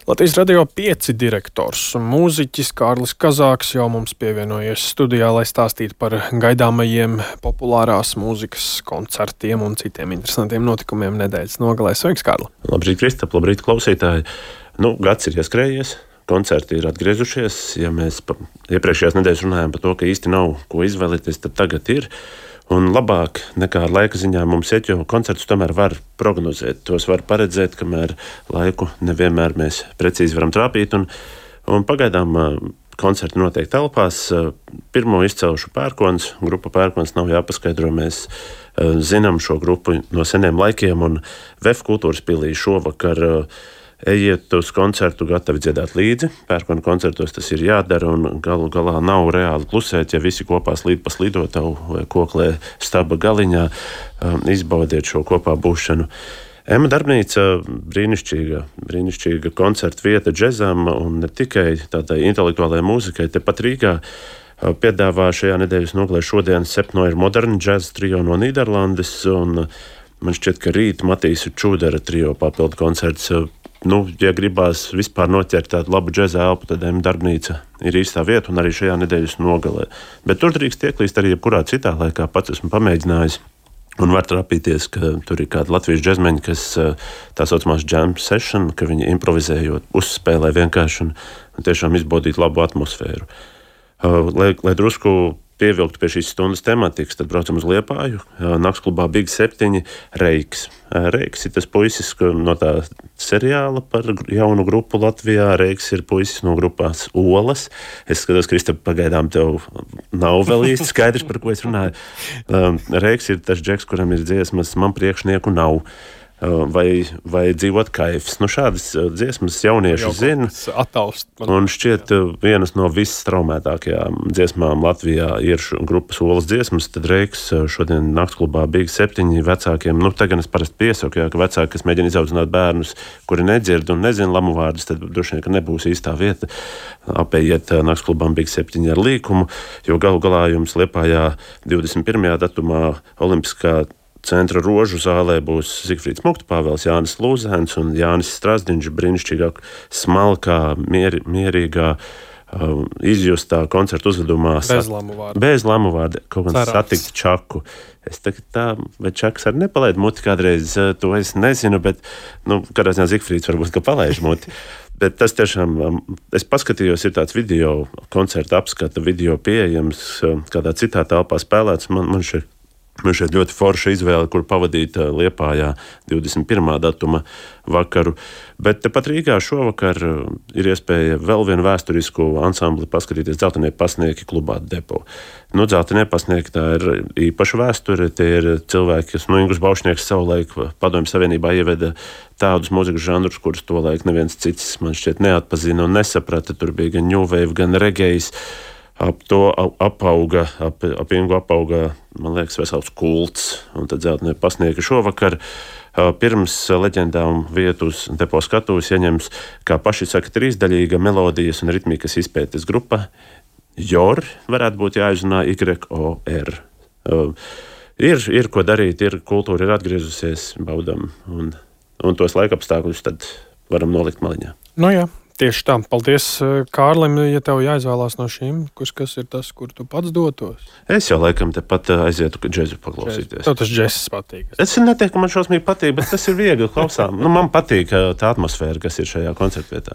Latvijas Radio 5 direktors un mūziķis Kārlis Kazāks jau mums pievienojies studijā, lai stāstītu par gaidāmajiem populārās mūzikas koncertiem un citiem interesantiem notikumiem nedēļas nogalē. Sveiks, Kārli! Labrīt, Kristap, labrīt, klausītāji! Gads ir ieskrējies, koncerti ir atgriezušies. Ja mēs iepriekšējās nedēļas runājām par to, ka īsti nav ko izvēlēties, tad tagad ir. Un labāk nekā laika ziņā mums iet, jo koncertus tomēr var prognozēt. Tos var paredzēt, kamēr laiku nevienmēr mēs precīzi varam trāpīt. Un pagaidām koncerti notiek telpās. Pirmo izcelšu Pērkons. Grupa Pērkons nav jāpaskaidro. Mēs zinām šo grupu no seniem laikiem. Un VF kultūras pilī šovakar ejiet uz koncertu, gatavi dziedāt līdzi. Pērkona koncertos tas ir jādara, un galu galā nav reāli klusēt, ja visi kopā slīd pa slidotavu vai koklē staba galiņā. Izbaudiet šo kopā būšanu. Ema darbnīca brīnišķīga koncerta vieta džezam un ne tikai tādai intelektuālajai mūzikai. Tepat Rīgā piedāvā šajā nedēļas nogalē šodien Sepno ir moderna džeza trio no Nīderlandes, un man šķiet, ka rīt Matīsa Čūdera trio papildu koncerts. Ja gribās vispār noķert tādu labu džeza elpu, tad Ema darbnīca ir īstā vieta un arī šajā nedēļas nogalē. Bet tur drīkst ieklīst arī jebkurā citā laikā. Pats esmu pamēģinājis un var trapīties, ka tur ir kādi latviešu džezmeņi, kas tā saucamās jam session, ka viņi improvizējot, uzspēlē vienkārši un tiešām izbaudīt labu atmosfēru. Lai drusku pievilktu pie šīs stundas tematikas, tad braucam uz Liepāju. Naktsklubā Big 7 Reiks. Reiks ir tas puisis no tā seriāla par jaunu grupu Latvijā. Reiks ir puisis no grupās Olas. Es skatos, Kristap, pagaidām tev nav vēl īsti skaidrs, par ko es runāju. Reiks ir tas džeks, kuram ir dziesmas Man priekšnieku nav. Vai dzīvot kaifs. Šādas dziesmas jaunieši zina. Un šķiet vienas no visstraumētākajām dziesmām Latvijā ir grupas Olas dziesmas. Tad Reiks šodien naktsklubā Big 7 vecākiem. Tagad es parasti piesaku, ka vecāki, kas mēģina izaudzināt bērnus, kuri nedzird un nezina lamu vārdus, tad droši vien, ka nebūs īstā vieta. Apējiet naktsklubām Big 7 ar līkumu, jo galu galā jums Liepājā 21. datumā Olimpiskā centra Rožu zālē būs Zigfrīds Muktpāvels, Jānis Lūzēns un Jānis Strasdiņš brīnišķīgā, smalkā, mierīgā, izjustā koncerta uzvedumā. Bez lamu vārda. Kaut kāds satikt Čaku. Es tagad tā, vai Čaks arī nepalaid muti kādreiz, to es nezinu, bet, kādā ziņā Zigfrīds varbūt, ka palaiž muti. Bet tas tiešām, es paskatījos, ir tāds video, koncerta apskata video pieejams, kādā citā telpā spēlēts. Man šeit ļoti forša izvēle, kur pavadīt Liepājā 21. datuma vakaru. Bet tepat Rīgā šovakar ir iespēja vēl vienu vēsturisku ansambli paskatīties Dzeltenie pasnieki klubā Depo. Dzeltenie pasnieki tā ir īpaša vēsture. Tie ir cilvēki, kas Ingus Baušnieks savulaik Padomju Savienībā ieveda tādus mūzikas žanrus, kurus tolaik neviens cits man šķiet neatpazina un nesaprata. Tur bija gan new wave, gan regejs. Ap to apauga, ap Ingu apauga, man liekas, vesels kults. Un tad Dzeltenie pasnieki šovakar pirms leģendām vietu uz Depo skatuves ieņems, kā paši saka, trīsdaļīga melodijas un ritmikas izpētes grupa. JOR varētu būt jāizrunā YOR. Ir ko darīt, kultūra ir atgriezusies, baudam. Un tos laikapstākļus tad varam nolikt maliņā. Jā. Tieši tā. Paldies, Kārlim, ja tev jāizvēlās no šīm, kas ir tas, kur tu pats dotos. Es jau laikam tepat aizietu džezu paklausīties. Tev tas džezs patīk. Es neteiktu, ka man šausmīgi patīk, bet tas ir viegli klausām. Man patīk tā atmosfēra, kas ir šajā koncertvietā.